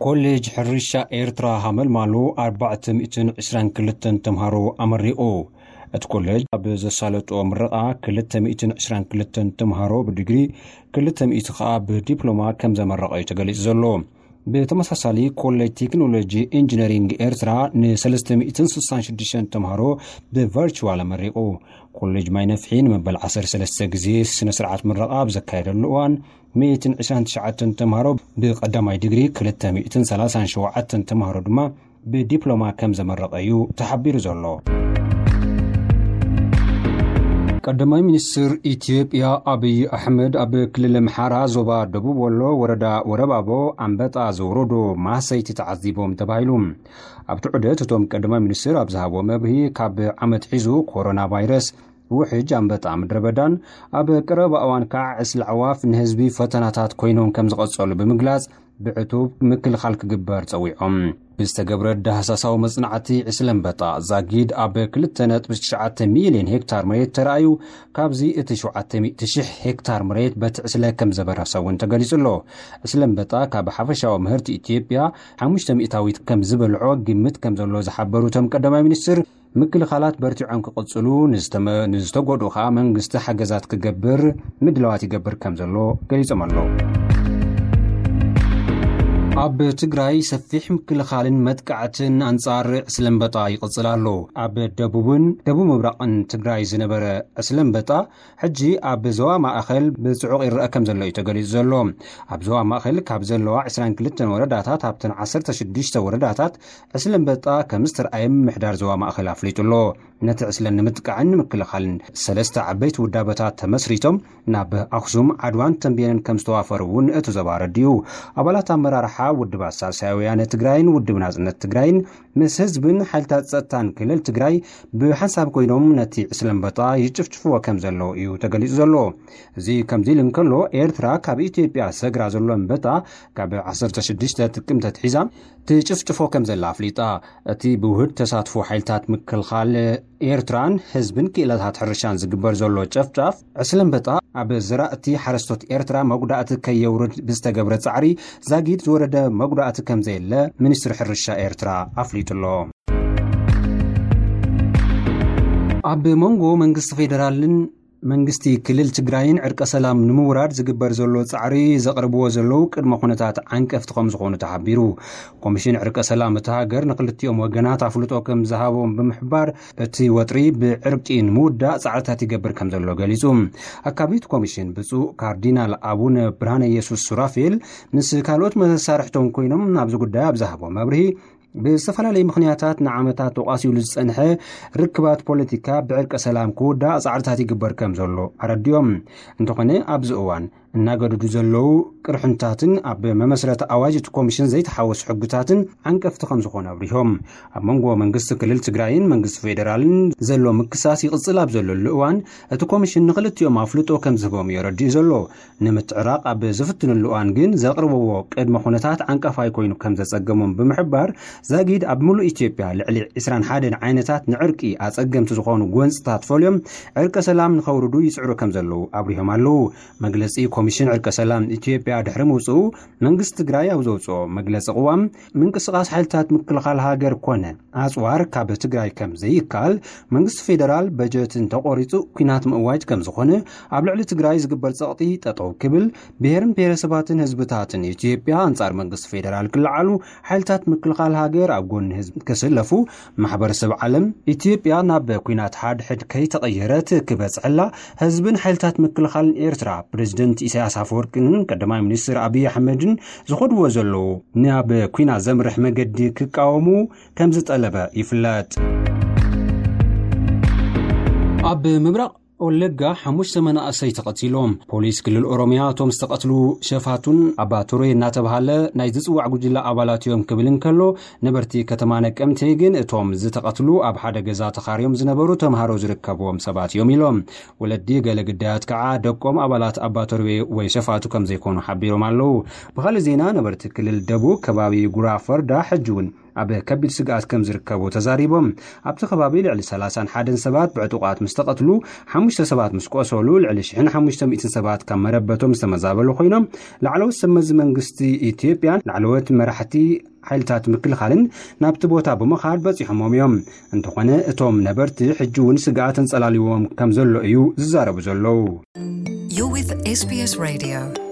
ኮሌጅ ሕርሻ ኤርትራ ሃመልማሉ ኣርባዕተ ሚእትን ዕስራን ክልተን ተምሃሮ ኣመሪቑ። እቲ ኮሌጅ ኣብ ዘሳለጦ ምረቓ ክልተ ሚእትን ዕስራን ክልተን ተምሃሮ ብዲግሪ፣ ክልተ ሚእቲ ከኣ ብዲፕሎማ ከም ዘመረቐ እዩ ተገሊጹ ዘሎ። ብተመሳሳሊ ኮሌጅ ቴክኖሎጂ ኢንጂነሪንግ ኤርትራ ን ሰለስተ ሚእትን ስሳን ሽዱሽተን ተምሃሮ ብቨርቹዋል ኣመሪቑ። ኮሌጅ ማይ ነፍሒ ንመበል ዓሰርተ ሰለስተ ግዜ ስነ ስርዓት ምረቓ ኣብ ዘካየደሉ እዋን፣ ሚእትን ዕስራን ትሽዓተን ተምሃሮ ብቐዳማይ ዲግሪ፣ ክልተ ሚእትን ሰላሳን ሸውዓተን ተምሃሮ ድማ ብዲፕሎማ ከም ዘመረቐ እዩ ተሓቢሩ ዘሎ። ቀዳማይ ሚኒስትር ኢትዮጵያ ኣብይ ኣሕመድ ኣብ ክልል ኣምሓራ ዞባ ደቡብ ወሎ ወረዳ ወረባቦ ኣንበጣ ዘውረዶ ማህሰይቲ ተዓዚቦም ተባሂሉ። ኣብቲ ዑደት እቶም ቀዳማይ ሚኒስትር ኣብ ዝሃብዎ መብርሂ፣ ካብ ዓመት ሒዙ ኮሮና ቫይረስ፣ ውሕጅ ኣንበጣ ምድረ በዳን ኣብ ቀረባ እዋን ከዓ ዕስለ ኣዕዋፍ ንህዝቢ ፈተናታት ኮይኖም ከም ዝቐጸሉ ብምግላጽ፣ ብዕቱብ ምክልኻል ክግበር ጸዊዖም። ብዝተገብረ ዳህሳሳዊ መጽናዕቲ፣ ዕስለ ኣንበጣ ዛጊድ ኣብ ክልተ ነጥቢ ትሽዓተ ሚልዮን ሄክታር መሬት ተራእዩ፣ ካብዚ እቲ ሸውዓተ ሚእቲ ሺሕ ሄክታር መሬት በቲ ዕስለ ከም ዘበረሰ እውን ተገሊጹ ኣሎ። ዕስለ ኣንበጣ ካብ ሓፈሻዊ ምህርቲ ኢትዮጵያ ሓሙሽተ ሚእታዊት ከም ዝበልዖ ግምት ከም ዘሎ ዝሓበሩ እቶም ቀዳማይ ሚኒስትር፣ ምክልኻላት በርቲዖም ክቕጽሉ፣ ንዝተመ-፣ ንዝተጎድኡ ከኣ መንግስቲ ሓገዛት ክገብር ምድላዋት ይገብር ከም ዘሎ ገሊጾም ኣለዉ። ኣብ ትግራይ ሰፊሕ ምክልኻልን መጥቃዕትን ኣንጻር ዕስለ ኣንበጣ ይቕጽል ኣሎ። ኣብ ደቡብን ደቡብ ምብራቕን ትግራይ ዝነበረ ዕስለ ኣንበጣ፣ ሕጂ ኣብ ዞባ ማእኸል ብጽዑቕ ይረአ ከም ዘሎ እዩ ተገሊጹ ዘሎ። ኣብ ዞባ ማእኸል ካብ ዘለዋ ዕስራን ክልተን ወረዳታት፣ ኣብተን ዓሰርተ ሽዱሽተ ወረዳታት ዕስለ ኣንበጣ ከም ዝተርኣየ ምምሕዳር ዞባ ማእኸል ኣፍሊጡ ኣሎ። ነቲ ዕስለ ንምጥቃዕን ንምክልኻልን ሰለስተ ዓበይቲ ውዳበታት ተመስሪቶም ናብ ኣኽሱም፣ ዓድዋን ተንቤንን ከም ዝተዋፈሩ እውን እቲ ዞባ ኣረዲኡ። ኣባላት ኣመራርሓ ውድባት ሳልሳይ ወያነ ትግራይን ውድብ ናጽነት ትግራይን ምስ ህዝብን ሓይልታት ጸጥታን ክልል ትግራይ ብሓንሳብ ኮይኖም ነቲ ዕስለ ኣንበጣ ይጭፍጭፍዎ ከም ዘለዉ እዩ ተገሊጹ ዘሎ። እዚ ከምዚ ኢሉ እንከሎ፣ ኤርትራ ካብ ኢትዮጵያ ሰግራ ዘሎ ኣንበጣ ካብ ዓሰርተ ሽዱሽተ ጥቅምቲ ኣትሒዛ ትጭፍጭፎ ከም ዘላ ኣፍሊጣ። እቲ ብውህድ ተሳትፎ ሓይልታት ምክልኻል ኤርትራን ህዝብን ክኢላታት ሕርሻን ዝግበር ዘሎ ጨፍጫፍ ዕስለ ኣንበጣ ኣብ ዘራእቲ ሓረስቶት ኤርትራ መጉዳእቲ ከየውርድ ብዝተገብረ ጻዕሪ ዛጊድ ዝወረደ መጉዳእቲ ከም ዘየለ ሚኒስትሪ ሕርሻ ኤርትራ ኣፍሊጡ ኣሎ። ኣብ መንጎ መንግስቲ ፌደራልን መንግስቲ ክልል ትግራይን ዕርቀ ሰላም ንምውራድ ዝግበር ዘሎ ጻዕሪ ዘቕርብዎ ዘለዉ ቅድመ ኩነታት ዓንቀፍቲ ከም ዝኾኑ ተሓቢሩ። ኮሚሽን ዕርቀ ሰላም እታ ሃገር ንክልቲኦም ወገናት ኣፍልጦ ከም ዝሃቦም ብምሕባር፣ እቲ ወጥሪ ብዕርቂ ንምውዳእ ጻዕርታት ይገብር ከም ዘሎ ገሊጹ። ኣካቢት ኮሚሽን ብፁዕ ካርዲናል ኣቡነ ብርሃነ ኢየሱስ ሱራፌል ምስ ካልኦት መሳርሕቶም ኮይኖም ኣብዚ ጉዳይ ኣብ ዝሃቦ መብርሂ፣ ብዝተፈላለዩ ምኽንያታት ንዓመታት ተቋሲሉ ዝጸንሐ ርክባት ፖለቲካ ብዕርቀ ሰላም ክውዳእ ጻዕርታት ይግበር ከም ዘሎ ኣረዲኦም። እንተኾነ ኣብዚ እዋን እናገደዱ ዘለዉ ቅርሕንታትን ኣብ መመስረቲ ኣዋጅ እቲ ኮሚሽን ዘይተሓወሱ ሕግታትን ዓንቀፍቲ ከም ዝኾነ ኣብሪሆም። ኣብ መንጎ መንግስቲ ክልል ትግራይን መንግስቲ ፌደራልን ዘሎ ምክሳስ ይቕጽል ኣብ ዘለሉ እዋን፣ እቲ ኮሚሽን ንክልቲኦም ኣፍልጦ ከም ዝህቦም እዩ ኣረዲኡ ዘሎ። ንምትዕራቕ ኣብ ዝፍትንሉ እዋን ግን ዘቕርብዎ ቅድመ ኩነታት ዓንቀፋይ ኮይኑ ከም ዘጸገሞም ብምሕባር፣ ዛጊድ ኣብ ምሉእ ኢትዮጵያ ልዕሊ ዕስራን ሓደን ዓይነታት ንዕርቂ ኣጸገምቲ ዝኾኑ ጎንጽታት ፈልዮም ዕርቀ ሰላም ንኸውርዱ ይጽዕሩ ከም ዘለዉ ኣብሪሆም ኣለዉ። መግለጺ ኮሚሽን ዕርቀ ሰላም ኢትዮጵያ ድሕሪ ምውጽኡ፣ መንግስቲ ትግራይ ኣብ ዘውጽኦ መግለጺ ቅዋም፣ ምንቅስቓስ ሓይልታት ምክልኻል ሃገር ኮነ ኣጽዋር ካብ ትግራይ ከም ዘይከኣል፣ መንግስቲ ፌደራል በጀት እንተቖሪጹ ኲናት ምእዋጅ ከም ዝኾነ፣ ኣብ ልዕሊ ትግራይ ዝግበር ጸቕጢ ጠጠው ክብል፣ ብሄርን ብሄረሰባትን ህዝብታትን ኢትዮጵያ ኣንጻር መንግስቲ ፌደራል ክለዓሉ፣ ሓይልታት ምክልኻል ሃገር ኣብ ጎኒ ህዝቢ ክስለፉ፣ ማሕበረሰብ ዓለም ኢትዮጵያ ናብ ኲናት ሓድሕድ ከይተቐየረት ክበጽሐላ፣ ህዝብን ሓይልታት ምክልኻልን ኤርትራ ፕሬዚደንት ኢሳያስ ኣፈወርቅን ቀዳማይ ሚኒስትር ኣብይ ኣሕመድን ዝኸድዎ ዘለዉ ናብ ኲናት ዘምርሕ መገዲ ክቃወሙ ከም ዝጠለበ ይፍለጥ። ኣብ ምብራቕ ወለጋ ሓሙሽተ መናእሰይ ተቐቲሎም። ፖሊስ ክልል ኦሮምያ እቶም ዝተቐትሉ ሸፋቱን ኣባ ቶሬ እናተባሃለ ናይ ዝጽዋዕ ጉጅለ ኣባላት እዮም ክብል እንከሎ፣ ነበርቲ ከተማ ነቀምቴ ግን እቶም ዝተቐትሉ ኣብ ሓደ ገዛ ተኻርዮም ዝነበሩ ተምሃሮ ዝርከብዎም ሰባት እዮም ኢሎም። ወለዲ ገለ ግዳያት ከዓ ደቆም ኣባላት ኣባ ቶሬ ወይ ሸፋቱ ከም ዘይኮኑ ሓቢሮም ኣለዉ። ብኻልእ ዜና፣ ነበርቲ ክልል ደቡብ ከባቢ ጉራ ፈርዳ ሕጂ እውን ኣብ ከቢድ ስግኣት ከም ዝርከቡ ተዛሪቦም። ኣብቲ ከባቢ ልዕሊ ሰላሳን ሓደን ሰባት ብዕጡቓት ምስ ተቐትሉ፣ ሓሙሽተ ሰባት ምስ ቆሰሉ፣ ልዕሊ ሽሕን ሓሙሽተ ሚእትን ሰባት ካብ መረበቶም ዝተመዛበሉ ኮይኖም፣ ላዕለዎት ሰብ መዚ መንግስቲ ኢትዮጵያን ላዕለዎት መራሕቲ ሓይልታት ምክልኻልን ናብቲ ቦታ ብምኻድ በፂሖሞም እዮም። እንተኾነ እቶም ነበርቲ ሕጂ እውን ስግኣት ኣንጸላልዎም ከም ዘሎ እዩ ዝዛረቡ ዘለዉ። You're with S B S Radio.